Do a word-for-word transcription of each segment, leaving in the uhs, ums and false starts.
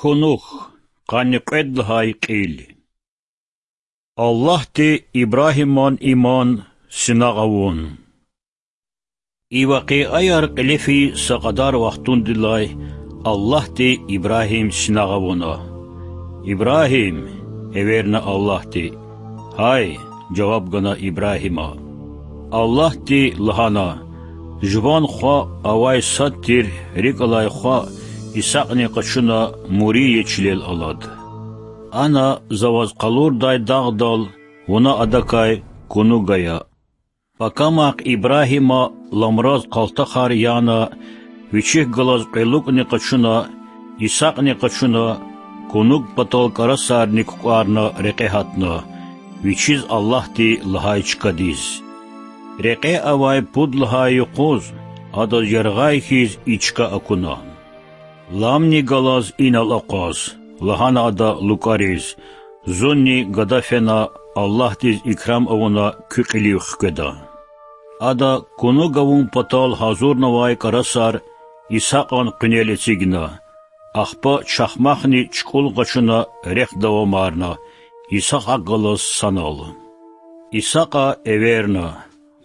Кунук, къанни кьвед лагьай кьил. Аллагьди Ибрагьиман иман синагъ авун. И вакъиаяр кьиле фейи са кьадар вахтундилай Аллагьди Ибрагьим синагъ авуна. Ибрагьим! эверна Аллагьди. Гьай! жаваб гана Ибрагьима. Аллагьди лагьана: Жуван хва, авай сад тир рикӀ алай хва Исакьни къачуна, Мурия чилел алад. Ана За ваз къалурдай дагъдал, вуна адакай кунуг ая. Пакамахъ Ибрагьима ламраз къалтахар яна, вичихъ галаз кьве лукӀни къачуна, Исакьни къачуна, кунуг патал кӀарасарни кукӀварна рекье гьатна, вичиз Аллагьди лагьай чкадиз. Рекье авай пуд лагьай юкъуз адаз яргъай хьиз и чка акуна. Ламни галаз инал акъваз,— лагьана ада лукӀариз,— зунни гада фена, Аллагьдиз икрам авуна куь кьилив хкведа. Ада кунуг авун патал гьазурнавай кӀарасар Исакьан къуьнел эцигна, ахпа чахмахни чукӀул къачуна рехъ давамарна, Исакь гьакӀ галаз санал. Исакьа эверна: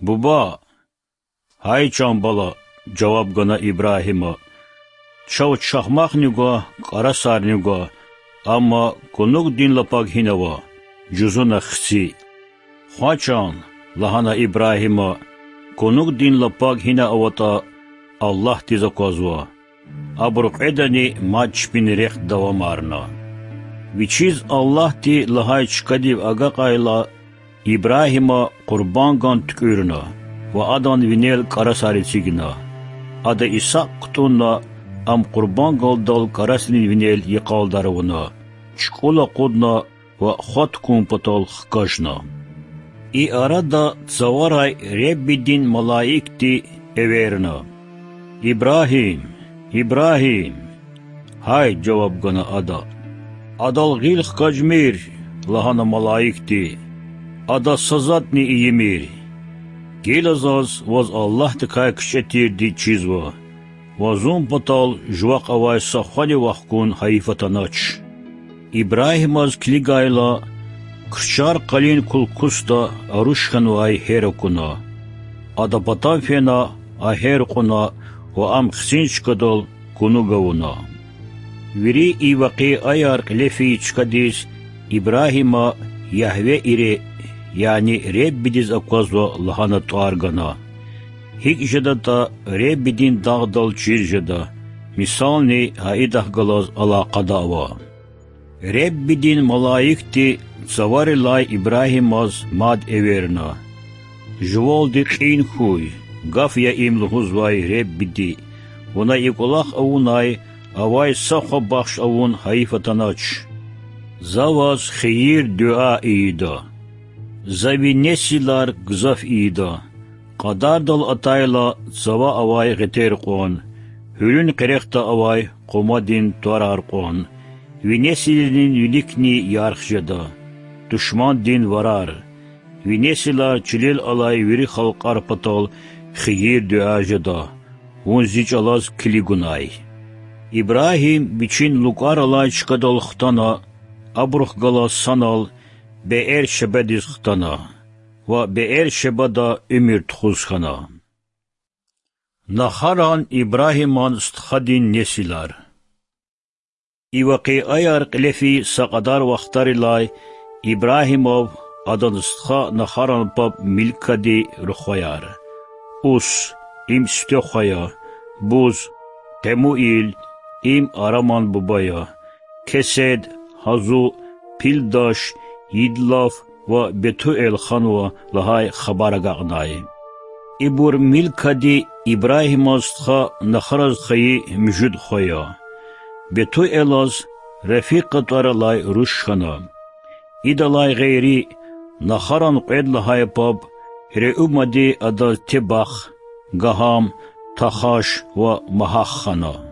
Буба! Гьай, чан бала,— жаваб гана Ибрагьима,— чав чахмахни гва, кӀарасарни гва, амма кунугдин лапаг гьина ава, жузуна хци. Хва, чан,— лагьана Ибрагьима,— кунугдин лапаг гьина аватӀа, Аллагьдиз аквазва. Абуру кьведани мад чпин рехъ давамарна. Вичиз Аллагьди лагьай чкадив агакьайла, Ибрагьима къурбанган туькӀуьрна ва адан винел кӀарасар эцигна. Ада Исакь кутӀунна, ам къурбангалдал кӀарасрин винел йикъалдар авуна, чукӀул акъудна ва хва тукун патал хкажна. И арада цаварай Реббидин малаикди эверна: Ибрагьим! Ибрагьим! Гьай,— жаваб гана ада. Адал гъил хкажмир,— лагьана малаикди,— адаз са затӀни ийимир. Гила заз ваз Аллагьдикай кичӀе тирди чизва ва зун патал жувахъ авай са хвани вахкун гьайиф атанач. Ибрагьимаз килигайла, крчар къалин кулкусда аруш хьанвай гьер акуна. Ада патав фена, а гьер кьуна ва ам хцин чкадал кунуг авуна. Вири и вакъиаяр кьиле фейи чкадиз Ибрагьима Ягьве Ире, яни Реббидиз аквазва лагьана тӀвар гана. ГьикӀ жедатӀа Реббидин дагъдал чир жеда, мисални гьа идахъ галаз алакъада ава. Реббидин малаикди цаварилай Ибрагьимаз мад эверна: Жувалди кьин хьуй, гаф я им лугьузвай Реббиди, вуна и кӀвалах авунай авай са хва бахш авун гьайиф атанач. За ваз хийир-дуьа ийида. За ви несилар гзаф ийида, кьадардал атайла цава авай гъетер кьван, гьуьлуьн къерехда авай къумадин тӀварар кьван, ви несилрин виликни ярх жеда, душмандин варар, ви несилар чилел алай вири халкьар патал хийир-дуьа жеда, вун зи чӀалаз килигунай. Ибрагьим вичин лукӀар алай чкадал хтана, абурухъ галаз санал Беэр-Шебадиз хтана ва Беэр-Шебада уьмуьр тухуз хьана. Нахаран Ибрагьиман стхадин несилар. И вакъиаяр кьиле фейи са кьадар вахтарилай Ибрагьимав, адан стха Нахаран паб Милкади рухваяр: Ус, им Сифте хва я, Буз, Къемуил, им Араман буба я, Кесед, Гьазу, Пилдаш, Йидлаф ва Бетуэл ханва лагьай хабар агакьнай. Ибур Милкади Ибрагьиман стха Нахараз хайи муьжуьд хва я. Бетуэлаз Рефикъа тӀвар алай руш хьана. Идалай гъейри, Нахаран кьвед лагьай паб Реумади адаз Тебах, Гагьам, Тахаш ва Магьах хана.